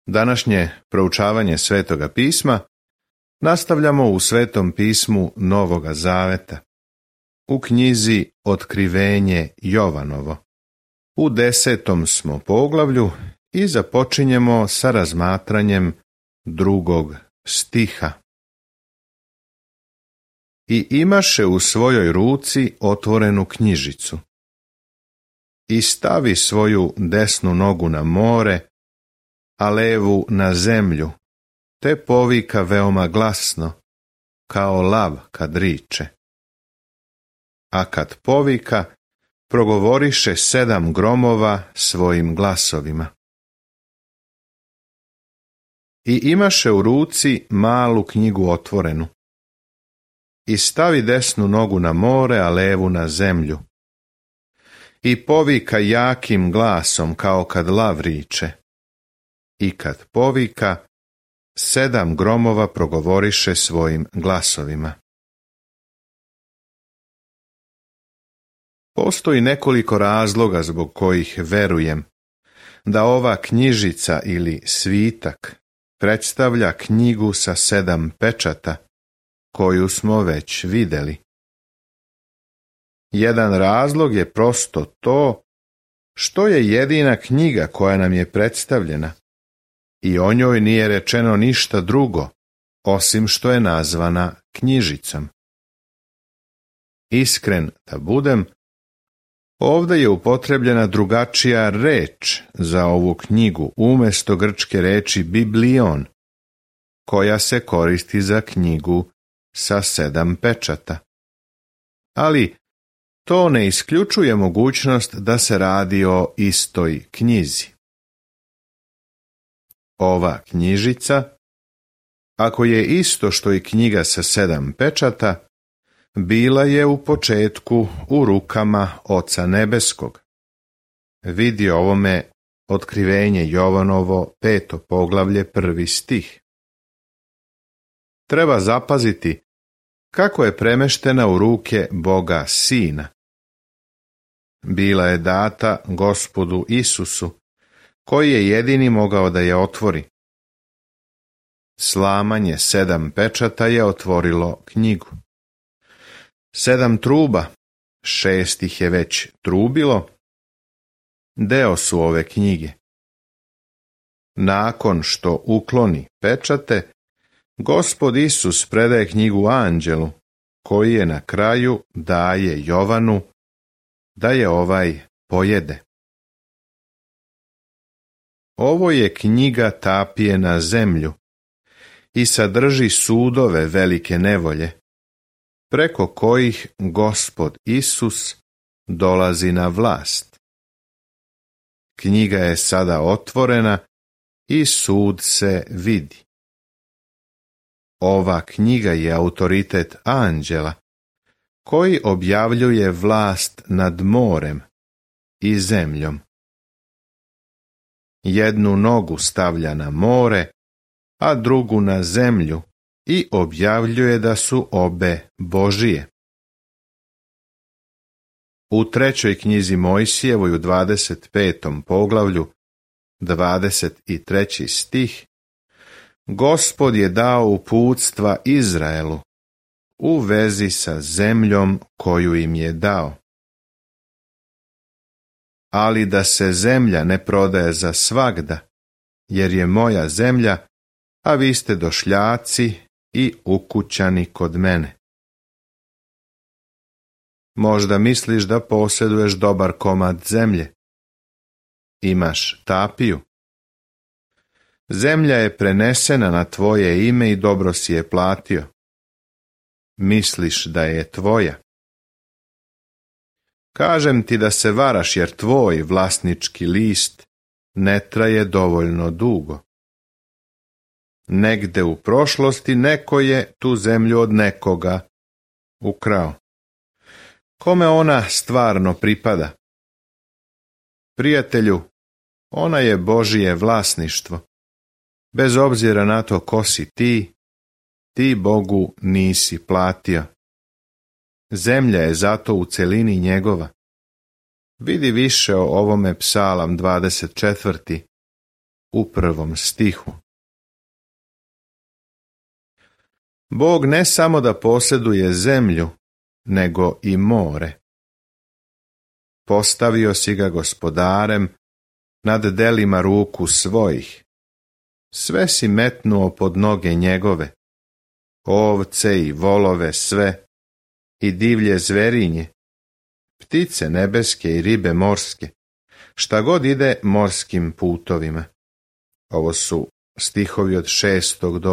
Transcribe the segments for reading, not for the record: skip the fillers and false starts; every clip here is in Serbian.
Današnje proučavanje Svetoga pisma nastavljamo u Svetom pismu Novoga Zaveta, u knjizi Otkrivenje Jovanovo. U 10. smo poglavlju i započinjemo sa razmatranjem 2. stiha. I imaše u svojoj ruci otvorenu knjižicu. I stavi svoju desnu nogu na more, a levu na zemlju, te povika veoma glasno, kao lav kad riče. A kad povika, progovoriše 7 gromova svojim glasovima. I imaše u ruci malu knjigu otvorenu. I stavi desnu nogu na more, a levu na zemlju. I povika jakim glasom, kao kad lav riče. I kad povika, 7 gromova progovoriše svojim glasovima. Postoji nekoliko razloga zbog kojih verujem da ova knjižica ili svitak predstavlja knjigu sa 7 pečata, koju smo već vidjeli. Jedan razlog je prosto to što je jedina knjiga koja nam je predstavljena i o njoj nije rečeno ništa drugo, osim što je nazvana knjižicom. Iskren da budem, ovdje je upotrebljena drugačija reč za ovu knjigu umjesto grčke reči biblion, koja se koristi za knjigu sa 7 pečata. Ali to ne isključuje mogućnost da se radi o istoj knjizi. Ova knjižica, ako je isto što i knjiga sa 7 pečata, bila je u početku u rukama Oca Nebeskog. Vidi ovome Otkrivenje Jovanovo 5. poglavlje 1. stih. Treba zapaziti kako je premeštena u ruke Boga Sina. Bila je data Gospodu Isusu, koji je jedini mogao da je otvori. Slamanje 7 pečata je otvorilo knjigu. 7 truba, 6 ih je već trubilo, deo su ove knjige. Nakon što ukloni pečate, Gospod Isus predaje knjigu anđelu, koji je na kraju daje Jovanu da je ovaj pojede. Ovo je knjiga tapije na zemlju i sadrži sudove velike nevolje, preko kojih Gospod Isus dolazi na vlast. Knjiga je sada otvorena i sud se vidi. Ova knjiga je autoritet anđela, koji objavljuje vlast nad morem i zemljom. Jednu nogu stavlja na more, a drugu na zemlju i objavljuje da su obe Božije. U 3. knjizi Mojsijevoj u 25. poglavlju, 23. stih, Gospod je dao uputstva Izraelu u vezi sa zemljom koju im je dao. Ali da se zemlja ne prodaje za svagda, jer je moja zemlja, a vi ste došljaci i ukućani kod mene. Možda misliš da posjeduješ dobar komad zemlje. Imaš tapiju. Zemlja je prenesena na tvoje ime i dobro si je platio. Misliš da je tvoja. Kažem ti da se varaš, jer tvoj vlasnički list ne traje dovoljno dugo. Negde u prošlosti neko je tu zemlju od nekoga ukrao. Kome ona stvarno pripada? Prijatelju, ona je Božije vlasništvo. Bez obzira na to ko si ti Bogu nisi platio. Zemlja je zato u celini njegova. Vidi više o ovome Psalam 24. u 1. stihu. Bog ne samo da posjeduje zemlju, nego i more. Postavio si ga gospodarem nad delima ruku svojih. Sve si metnuo pod noge njegove, ovce i volove sve, i divlje zverinje, ptice nebeske i ribe morske, šta god ide morskim putovima. Ovo su stihovi od 6. do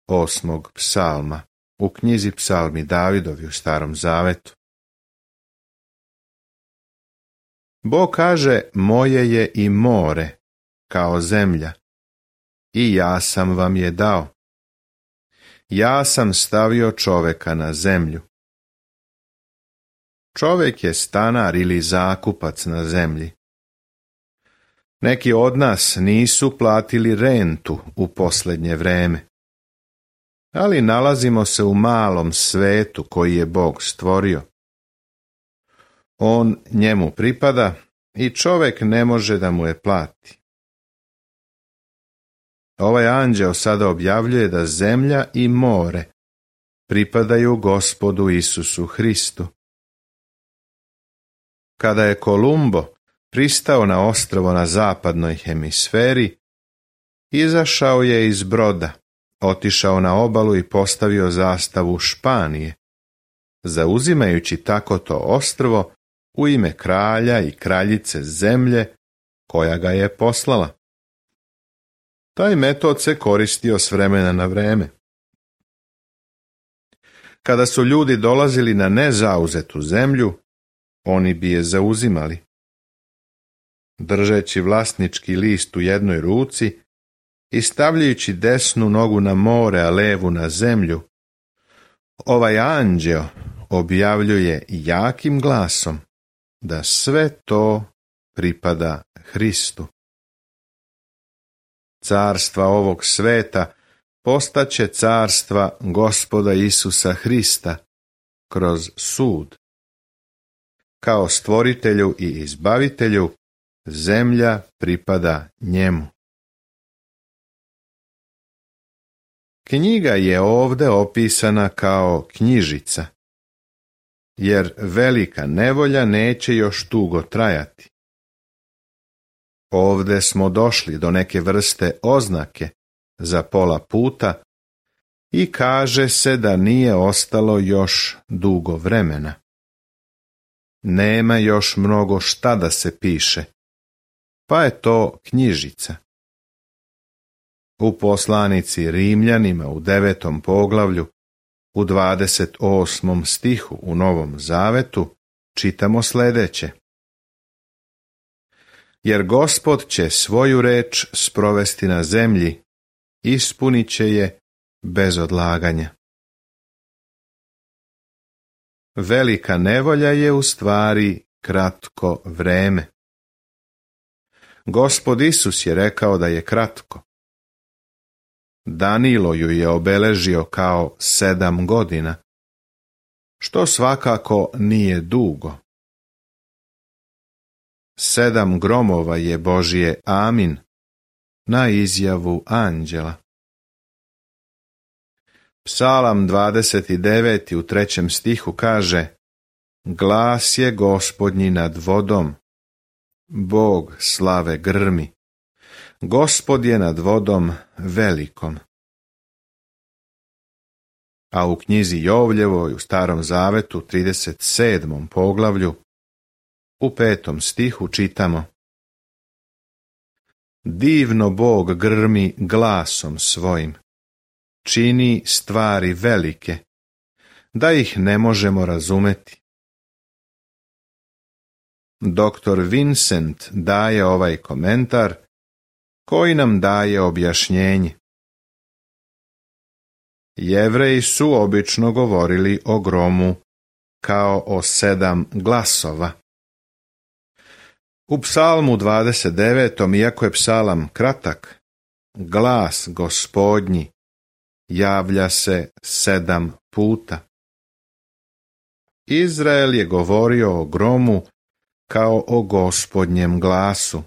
8. psalma u knjizi Psalmi Davidovi u Starom Zavetu. Bog kaže, moje je i more, kao zemlja, i ja sam vam je dao. Ja sam stavio čoveka na zemlju. Čovek je stanar ili zakupac na zemlji. Neki od nas nisu platili rentu u posljednje vreme, ali nalazimo se u malom svetu koji je Bog stvorio. On njemu pripada i čovek ne može da mu je plati. Ovaj anđeo sada objavljuje da zemlja i more pripadaju Gospodu Isusu Hristu. Kada je Kolumbo pristao na ostrvo na zapadnoj hemisferi, izašao je iz broda, otišao na obalu i postavio zastavu Španije, zauzimajući tako to ostrvo u ime kralja i kraljice zemlje koja ga je poslala. Taj metod se koristio s vremena na vreme. Kada su ljudi dolazili na nezauzetu zemlju, oni bi je zauzimali. Držeći vlasnički list u jednoj ruci i stavljajući desnu nogu na more, a levu na zemlju, ovaj anđeo objavljuje jakim glasom da sve to pripada Hristu. Carstva ovog sveta postaće carstva Gospoda Isusa Hrista kroz sud. Kao stvoritelju i izbavitelju, zemlja pripada njemu. Knjiga je ovdje opisana kao knjižica, jer velika nevolja neće još dugo trajati. Ovdje smo došli do neke vrste oznake za pola puta i kaže se da nije ostalo još dugo vremena. Nema još mnogo šta da se piše, pa je to knjižica. U poslanici Rimljanima u 9. poglavlju, u 28. stihu u Novom Zavetu, čitamo sljedeće. Jer Gospod će svoju reč sprovesti na zemlji, ispunit će je bez odlaganja. Velika nevolja je u stvari kratko vreme. Gospod Isus je rekao da je kratko. Danilo ju je obeležio kao 7 godina, što svakako nije dugo. 7 gromova je Božje amin na izjavu anđela. Psalam 29. u 3. stihu kaže: Glas je Gospodnji nad vodom, Bog slave grmi, Gospod je nad vodom velikom. A u knjizi Jovljevoj u Starom Zavetu 37. poglavlju u 5. stihu čitamo: Divno Bog grmi glasom svojim, čini stvari velike, da ih ne možemo razumeti. Dr. Vincent daje ovaj komentar koji nam daje objašnjenje. Jevreji su obično govorili o gromu kao o 7 glasova. U psalmu 29. iako je psalam kratak, glas Gospodnji javlja se 7 puta. Izrael je govorio o gromu kao o Gospodnjem glasu.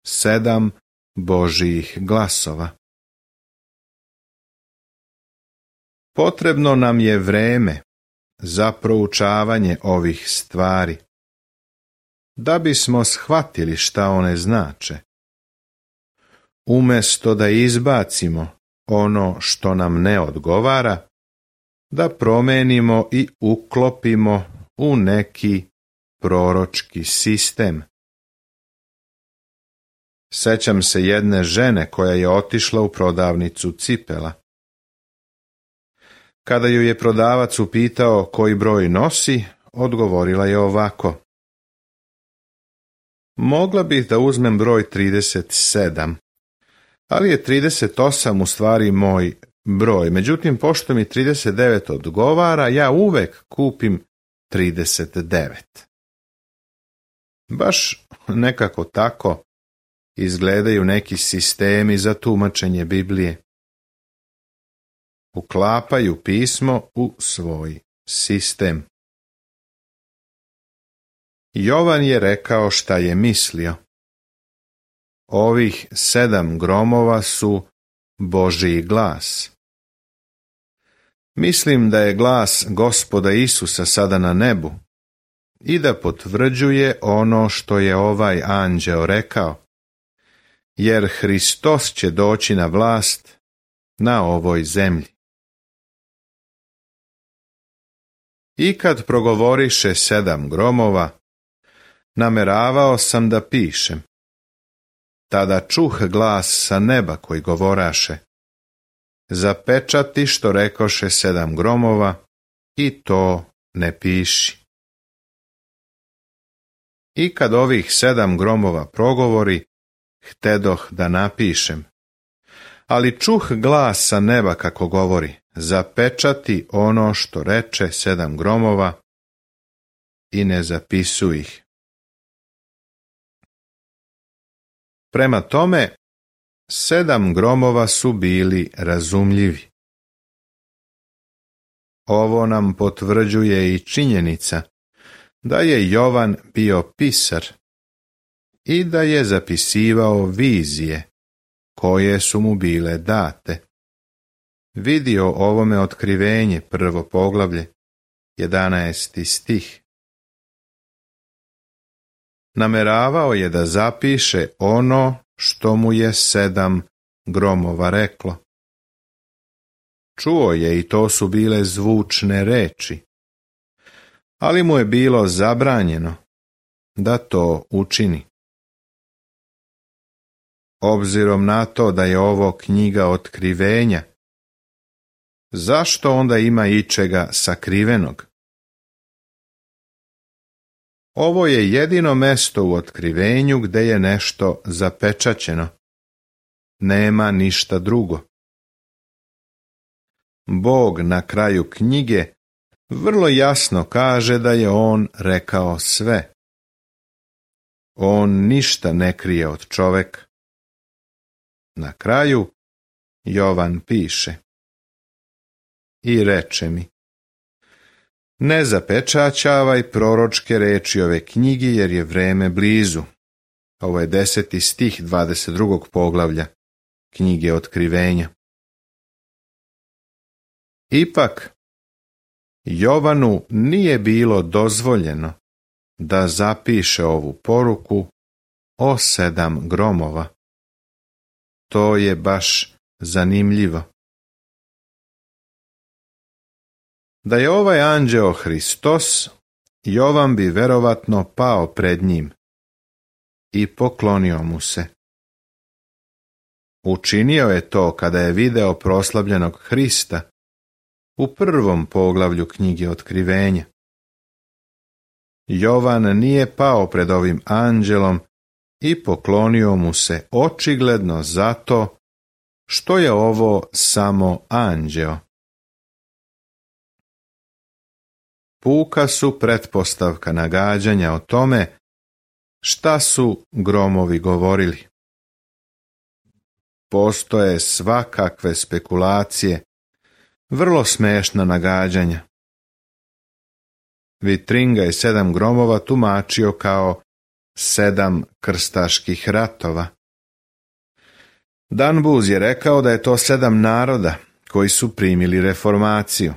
7 Božjih glasova. Potrebno nam je vreme za proučavanje ovih stvari, da bismo shvatili šta one znače. Umjesto da izbacimo ono što nam ne odgovara, da promenimo i uklopimo u neki proročki sistem. Sećam se jedne žene koja je otišla u prodavnicu cipela. Kada ju je prodavac upitao koji broj nosi, odgovorila je ovako: mogla bih da uzmem broj 37, ali je 38 u stvari moj broj. Međutim, pošto mi 39 odgovara, ja uvek kupim 39. Baš nekako tako izgledaju neki sistemi za tumačenje Biblije. Uklapaju pismo u svoj sistem. Jovan je rekao šta je mislio. Ovih 7 gromova su Božji glas. Mislim da je glas Gospoda Isusa sada na nebu i da potvrđuje ono što je ovaj anđeo rekao, jer Hristos će doći na vlast na ovoj zemlji. I kad progovoriše 7 gromova, nameravao sam da pišem. Tada čuh glas sa neba koji govoraše: zapečati što rekoše 7 gromova i to ne piši. I kad ovih 7 gromova progovori, htedoh da napišem, ali čuh glas sa neba kako govori: zapečati ono što reče 7 gromova i ne zapisuj ih. Prema tome, 7 gromova su bili razumljivi. Ovo nam potvrđuje i činjenica da je Jovan bio pisar i da je zapisivao vizije koje su mu bile date. Vidio ovome otkrivenje, 1. poglavlje, 11. stih. Nameravao je da zapiše ono što mu je 7 gromova reklo. Čuo je i to su bile zvučne reči, ali mu je bilo zabranjeno da to učini. Obzirom na to da je ovo knjiga otkrivenja, zašto onda ima ičega sakrivenog? Ovo je jedino mesto u otkrivenju gde je nešto zapečaćeno. Nema ništa drugo. Bog na kraju knjige vrlo jasno kaže da je on rekao sve. On ništa ne krije od čoveka. Na kraju Jovan piše: i reče mi: ne zapečaćavaj proročke reči ove knjige, jer je vreme blizu. Ovo je 10. stih 22. poglavlja knjige Otkrivenja. Ipak, Jovanu nije bilo dozvoljeno da zapiše ovu poruku o 7 gromova. To je baš zanimljivo. Da je ovaj anđeo Hristos, Jovan bi verovatno pao pred njim i poklonio mu se. Učinio je to kada je video proslavljenog Hrista u 1. poglavlju knjige Otkrivenja. Jovan nije pao pred ovim anđelom i poklonio mu se očigledno zato što je ovo samo anđeo. Puka su pretpostavka nagađanja o tome šta su gromovi govorili. Postoje svakakve spekulacije, vrlo smešna nagađanja. Vitringa je 7 gromova tumačio kao 7 krstaških ratova. Danbuz je rekao da je to 7 naroda koji su primili reformaciju.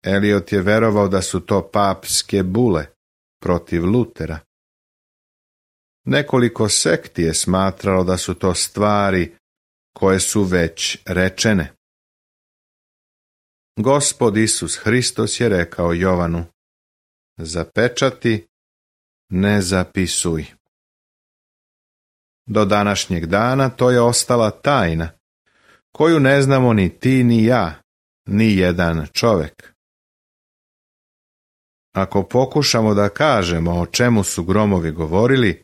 Eliot je verovao da su to papske bule protiv Lutera. Nekoliko sekti je smatralo da su to stvari koje su već rečene. Gospod Isus Hristos je rekao Jovanu: zapečati, ne zapisuj. Do današnjeg dana to je ostala tajna, koju ne znamo ni ti ni ja, ni jedan čovjek. Ako pokušamo da kažemo o čemu su gromovi govorili,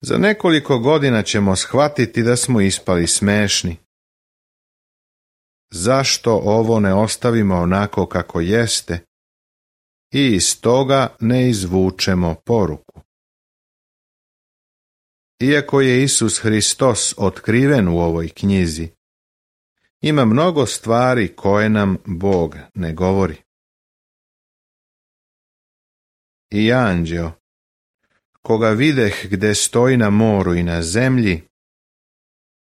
za nekoliko godina ćemo shvatiti da smo ispali smešni. Zašto ovo ne ostavimo onako kako jeste i iz toga ne izvučemo poruku? Iako je Isus Hristos otkriven u ovoj knjizi, ima mnogo stvari koje nam Bog ne govori. I anđeo, koga videh gde stoji na moru i na zemlji,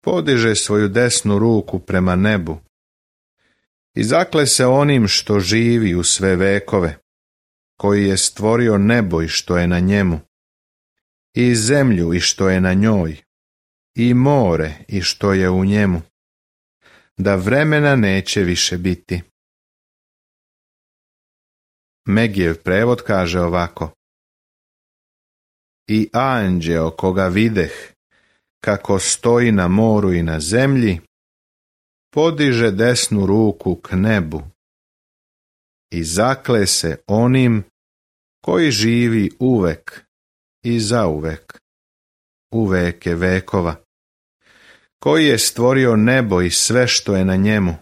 podiže svoju desnu ruku prema nebu i zakle se onim što živi u sve vekove, koji je stvorio nebo i što je na njemu, i zemlju i što je na njoj, i more i što je u njemu, da vremena neće više biti. Megijev prevod kaže ovako: i anđeo koga videh, kako stoji na moru i na zemlji, podiže desnu ruku k nebu i zakle se onim koji živi uvek i zauvek, u veke vekova, koji je stvorio nebo i sve što je na njemu,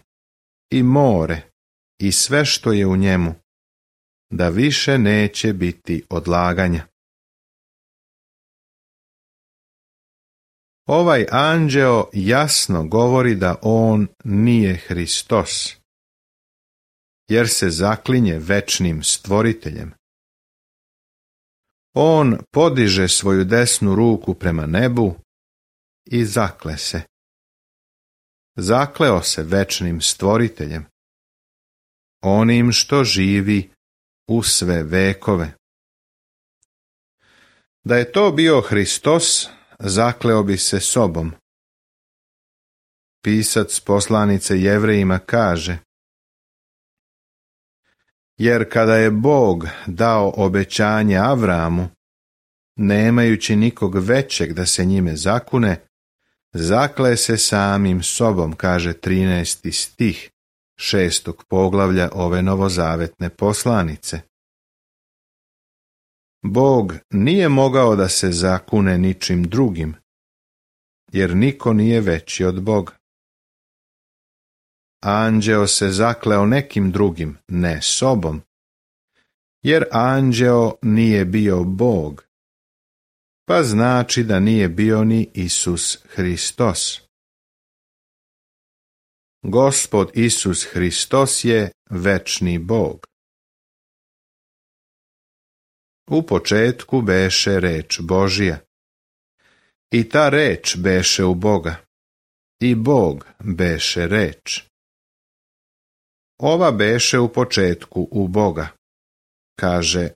i more i sve što je u njemu, da više neće biti odlaganja. Ovaj anđeo jasno govori da on nije Hristos, jer se zaklinje večnim stvoriteljem. On podiže svoju desnu ruku prema nebu i zakle se. Zakleo se večnim stvoriteljem, onim što živi u sve vekove. Da je to bio Hristos, zakleo bi se sobom. Pisac poslanice Jevrejima kaže: jer kada je Bog dao obećanje Avramu, nemajući nikog većeg da se njime zakune, zakle se samim sobom, kaže 13. stih 6. poglavlja ove novozavetne poslanice. Bog nije mogao da se zakune ničim drugim, jer niko nije veći od Boga. Anđeo se zakleo nekim drugim, ne sobom, jer anđeo nije bio Bog, pa znači da nije bio ni Isus Hristos. Gospod Isus Hristos je večni Bog. U početku beše reč Božija, i ta reč beše u Boga, i Bog beše reč. Ova beše u početku u Boga, kaže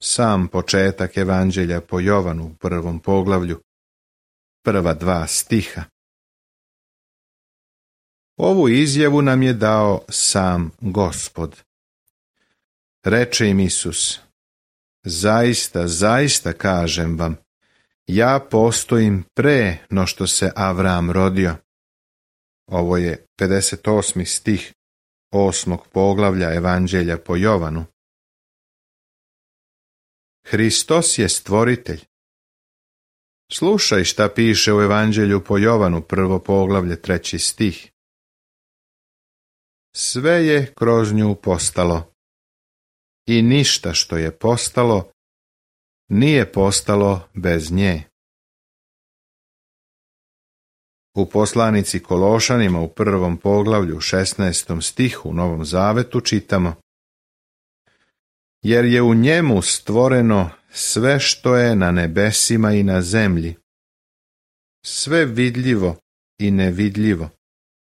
sam početak Evanđelja po Jovanu u 1. poglavlju, prva 2 stiha. Ovu izjavu nam je dao sam Gospod. Reče im Isus: zaista, zaista kažem vam, ja postojim pre no što se Avram rodio. Ovo je 58. stih 8. poglavlja Evanđelja po Jovanu. Hristos je stvoritelj. Slušaj šta piše u Evanđelju po Jovanu, 1. poglavlje, 3. stih. Sve je kroz nju postalo, i ništa što je postalo nije postalo bez nje. U poslanici Kološanima u 1. poglavlju 16. stihu u Novom Zavetu čitamo: jer je u njemu stvoreno sve što je na nebesima i na zemlji, sve vidljivo i nevidljivo,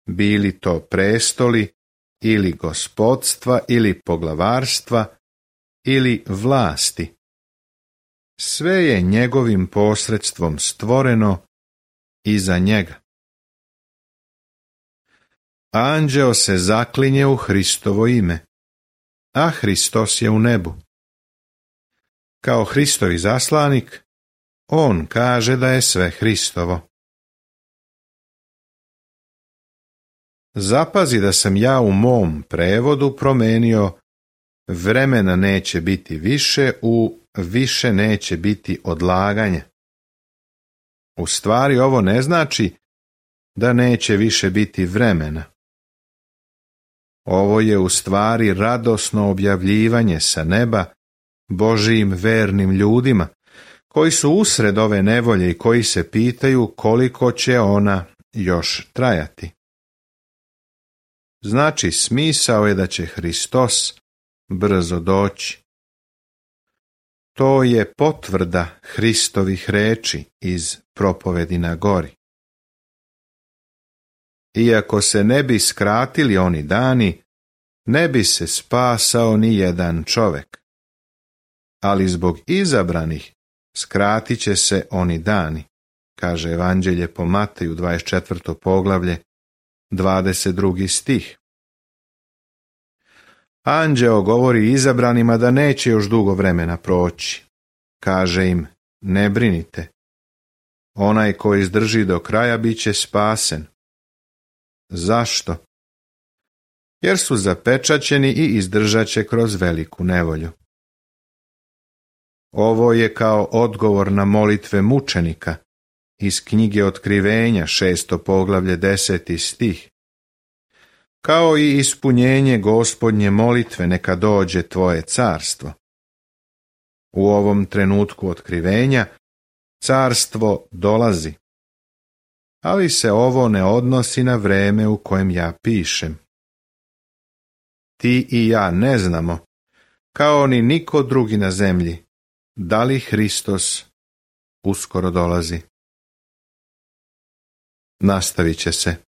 bili to prestoli ili gospodstva ili poglavarstva ili vlasti. Sve je njegovim posredstvom stvoreno i za njega. Anđeo se zaklinje u Hristovo ime, a Hristos je u nebu. Kao Hristov izaslanik, on kaže da je sve Hristovo. Zapazi da sam ja u mom prevodu promenio vremena neće biti više u više neće biti odlaganje. U stvari ovo ne znači da neće više biti vremena. Ovo je u stvari radosno objavljivanje sa neba Božijim vernim ljudima, koji su usred ove nevolje i koji se pitaju koliko će ona još trajati. Znači, smisao je da će Hristos brzo doći. To je potvrda Hristovih reči iz propovedi na gori. Iako se ne bi skratili oni dani, ne bi se spasao ni jedan čovek. Ali zbog izabranih skratit će se oni dani, kaže Evanđelje po Mateju 24. poglavlje, 22. stih. Anđeo govori izabranima da neće još dugo vremena proći. Kaže im, ne brinite. Onaj ko izdrži do kraja bit će spasen. Zašto? Jer su zapečaćeni i izdržat će kroz veliku nevolju. Ovo je kao odgovor na molitve mučenika iz knjige Otkrivenja 6. poglavlje 10. stih. Kao i ispunjenje Gospodnje molitve neka dođe tvoje carstvo. U ovom trenutku otkrivenja carstvo dolazi. Ali se ovo ne odnosi na vreme u kojem ja pišem. Ti i ja ne znamo, kao ni niko drugi na zemlji, da li Hristos uskoro dolazi. Nastavit će se.